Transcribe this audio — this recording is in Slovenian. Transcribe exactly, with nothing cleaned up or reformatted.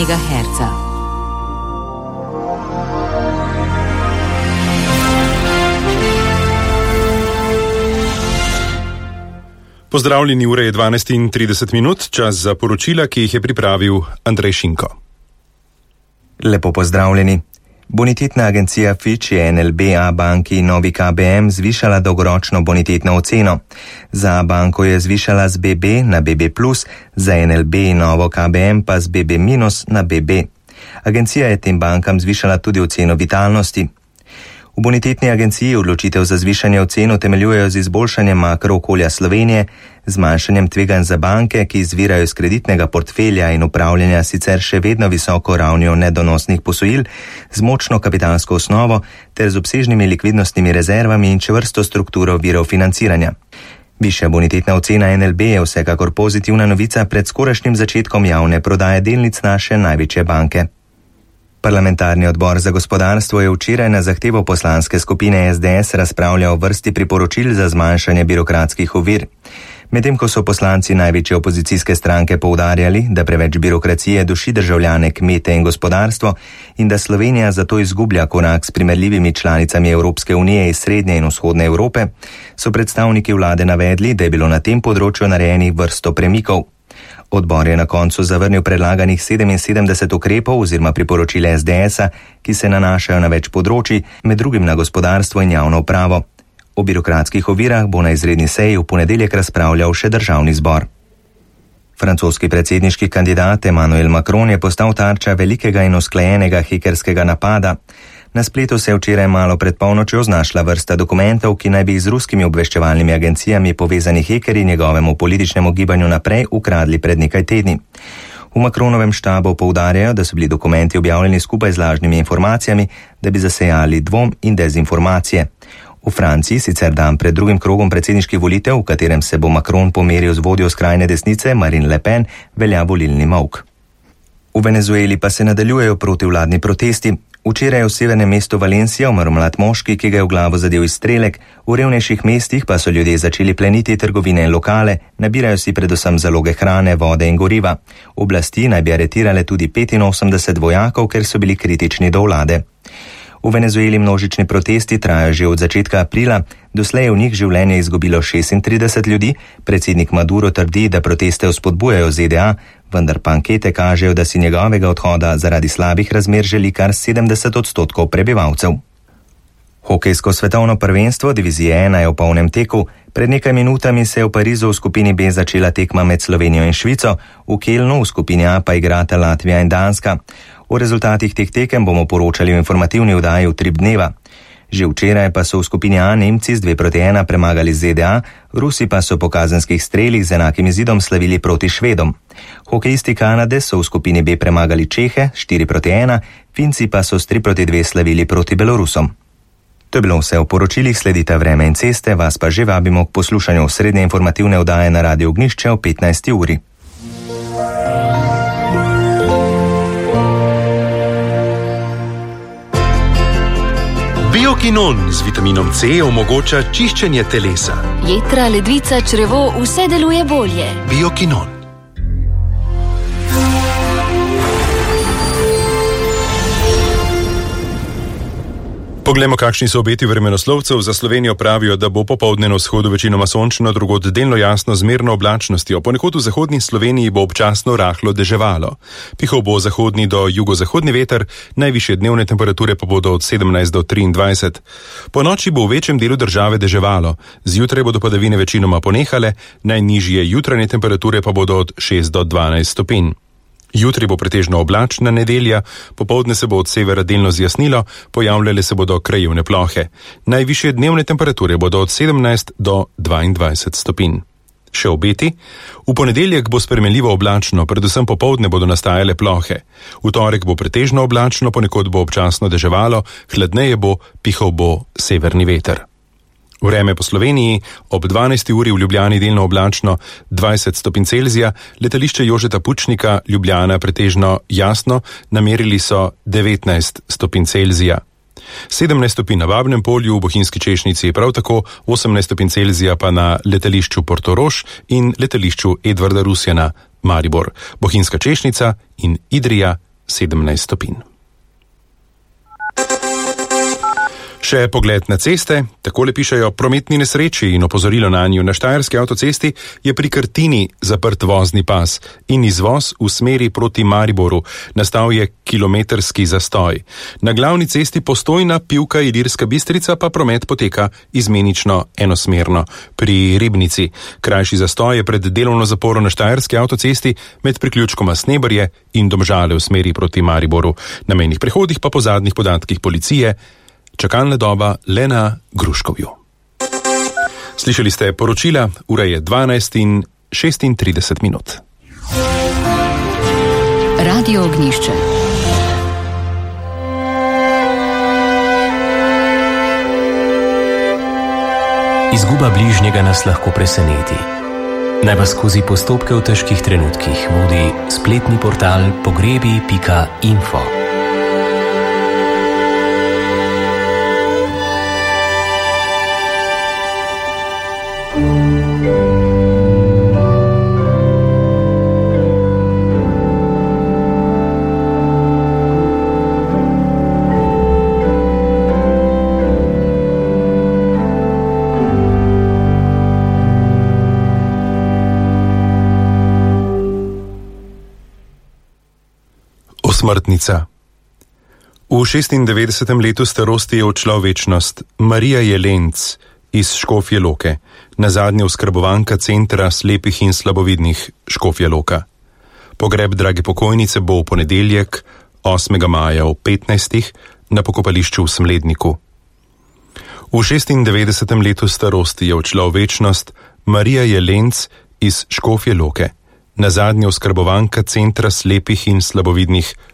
megaherca. Pozdravljeni, ura je dvanajst in trideset minut, čas za poročila, ki jih je pripravil Andrej Šinko. Lepo pozdravljeni. Bonitetna agencija Fitch je N L B Abanki Novi K B M zvišala dolgoročno bonitetno oceno. Za Abanko je zvišala z B B na B B plus, za N L B in Novo K B M pa z B B minus na B B. Agencija je tem bankam zvišala tudi oceno vitalnosti. V bonitetni agenciji odločitev za zvišanje ocen utemeljujejo z izboljšanjem makrookolja Slovenije, zmanjšanjem tveganj za banke, ki izvirajo iz kreditnega portfelja in upravljanja sicer še vedno visoko ravnjo nedonosnih posojil, z močno kapitalsko osnovo ter z obsežnimi likvidnostnimi rezervami in čvrsto strukturo virov financiranja. Višja bonitetna ocena N L B je vsekakor pozitivna novica pred skorajšnjim začetkom javne prodaje delnic naše največje banke. Parlamentarni odbor za gospodarstvo je včeraj na zahtevo poslanske skupine S D S razpravljal o vrsti priporočil za zmanjšanje birokratskih ovir. Medtem ko so poslanci največje opozicijske stranke poudarjali, da preveč birokracije duši državljane, kmete in gospodarstvo in da Slovenija zato izgublja korak s primerljivimi članicami Evropske unije iz srednje in vzhodne Evrope, so predstavniki vlade navedli, da je bilo na tem področju narejenih vrsto premikov. Odbor je na koncu zavrnil predlaganih sedeminsedemdeset ukrepov oziroma priporočil S D S-a, ki se nanašajo na več področij, med drugim na gospodarstvo in javno upravo. O birokratskih ovirah bo na izredni seji v ponedeljek razpravljal še državni zbor. Francoski predsedniški kandidat Emmanuel Macron je postal tarča velikega in usklajenega hekerskega napada. Na spletu se je včeraj malo pred polnočjo znašla vrsta dokumentov, ki naj bi z ruskimi obveščevalnimi agencijami povezani hekerji njegovemu političnemu gibanju naprej ukradli pred nekaj tedni. V Macronovem štabu poudarjajo, da so bili dokumenti objavljeni skupaj z lažnimi informacijami, da bi zasejali dvom in dezinformacije. V Franciji sicer dan pred drugim krogom predsedniških volitev, v katerem se bo Macron pomeril z vodjo skrajne desnice Marine Le Pen, velja volilni molk. V Venezueli pa se nadaljujejo protivladni protesti. Včeraj je v severnem mestu Valencia umrl mlad moški, ki ga je v glavo zadel izstrelek, v revnejših mestih pa so ljudje začeli pleniti trgovine in lokale, nabirajo si predvsem zaloge hrane, vode in goriva. Oblasti naj bi aretirale tudi petinosemdeset vojakov, ker so bili kritični do vlade. V Venezueli množični protesti trajajo že od začetka aprila, doslej je v njih življenje izgubilo šestintrideset ljudi, predsednik Maduro trdi, da proteste vzpodbujajo Z D A, vendar pa ankete kažejo, da si njegovega odhoda zaradi slabih razmer želi kar sedemdeset odstotkov prebivalcev. Hokejsko svetovno prvenstvo divizije ena je v polnem teku. Pred nekaj minutami se je v Parizu v skupini B začela tekma med Slovenijo in Švico, v Kelnu v skupini A pa igrata Latvija in Danska. O rezultatih teh tekem bomo poročali v informativni oddaji v Trip dneva. Že včeraj pa so v skupini A Nemci z dve proti ena premagali Z D A, Rusi pa so po kazenskih strelih z enakim izidom slavili proti Švedom. Hokejisti Kanade so v skupini B premagali Čehe štiri proti ena, Finci pa so s tri proti dve slavili proti Belorusom. To je bilo vse v poročilih, sledita Vreme in ceste, vas pa že vabimo k poslušanju srednje informativne oddaje na Radiu Ognjišče o petnajsti uri. Biokinon z vitaminom C omogoča čiščenje telesa. Jetra, ledvica, črevo, vse deluje bolje. Biokinon. Poglejmo, kakšni so obeti vremenoslovcev. Za Slovenijo pravijo, da bo popoldne na vzhodu večinoma sončno, drugod delno jasno z zmerno oblačnostjo. Ponekod v zahodni Sloveniji bo občasno rahlo deževalo. Pihal bo zahodni do jugozahodni veter, najvišje dnevne temperature pa bodo od sedemnajst do triindvajset. Po noči bo v večjem delu države deževalo. Zjutraj bodo padavine večinoma ponehale, najnižje jutranje temperature pa bodo od šest do dvanajst stopinj. Jutri bo pretežno oblačna nedelja, popoldne se bo od severa delno zjasnilo, pojavljale se bodo krajevne plohe. Najvišje dnevne temperature bodo od sedemnajst do dvaindvajset stopinj. Še obeti? V ponedeljek bo spremenljivo oblačno, predvsem popoldne bodo nastajale plohe. V torek bo pretežno oblačno, ponekod bo občasno deževalo, hladneje bo, pihal bo severni veter. Vreme po Sloveniji, ob dvanajsti uri v Ljubljani delno oblačno, dvajset stopinj Celzija, letališče Jožeta Pučnika, Ljubljana pretežno jasno, namerili so devetnajst stopinj Celzija. sedemnajst stopinj na Babnem polju, v Bohinjski Češnjici prav tako, osemnajst stopinj Celzija pa na letališču Portorož in letališču Edvarda Rusjana, Maribor, Bohinjska Češnjica in Idrija sedemnajst stopinj. Še pogled na ceste, takole pišejo: prometni nesreči in opozorilo na njo. Na štajerski avtocesti je pri Krtini zaprt vozni pas in izvoz v smeri proti Mariboru. Nastal je kilometrski zastoj. Na glavni cesti Postojna, Pivka, Ilirska Bistrica pa promet poteka izmenično enosmerno. Pri Ribnici krajši zastoj je pred delovno zaporo na štajerski avtocesti med priključkoma Snebrje in Domžale v smeri proti Mariboru. Na mejnih prehodih pa po zadnjih podatkih policije čakalna doba le na Gruškovju. Slišali ste poročila, ura je dvanajst in šestintrideset minut. Radio Ognjišče. Izguba bližnjega nas lahko preseneti. Naj vas skozi postopke v težkih trenutkih vodi spletni portal pogrebi pika info. Smrtnica. V šestindevetdesetem letu starosti je odšla v večnost Marija Jelenc iz Škofje Loke, nazadnje oskrbovanka centra slepih in slabovidnih Škofja Loka. Pogreb drage pokojnice bo v ponedeljek, osmega maja ob petnajstih na pokopališču v Smledniku. V šestindevetdesetem letu starosti je odšla v večnost Marija Jelenc iz Škofje Loke, nazadnje oskrbovanka centra slepih in slabovidnih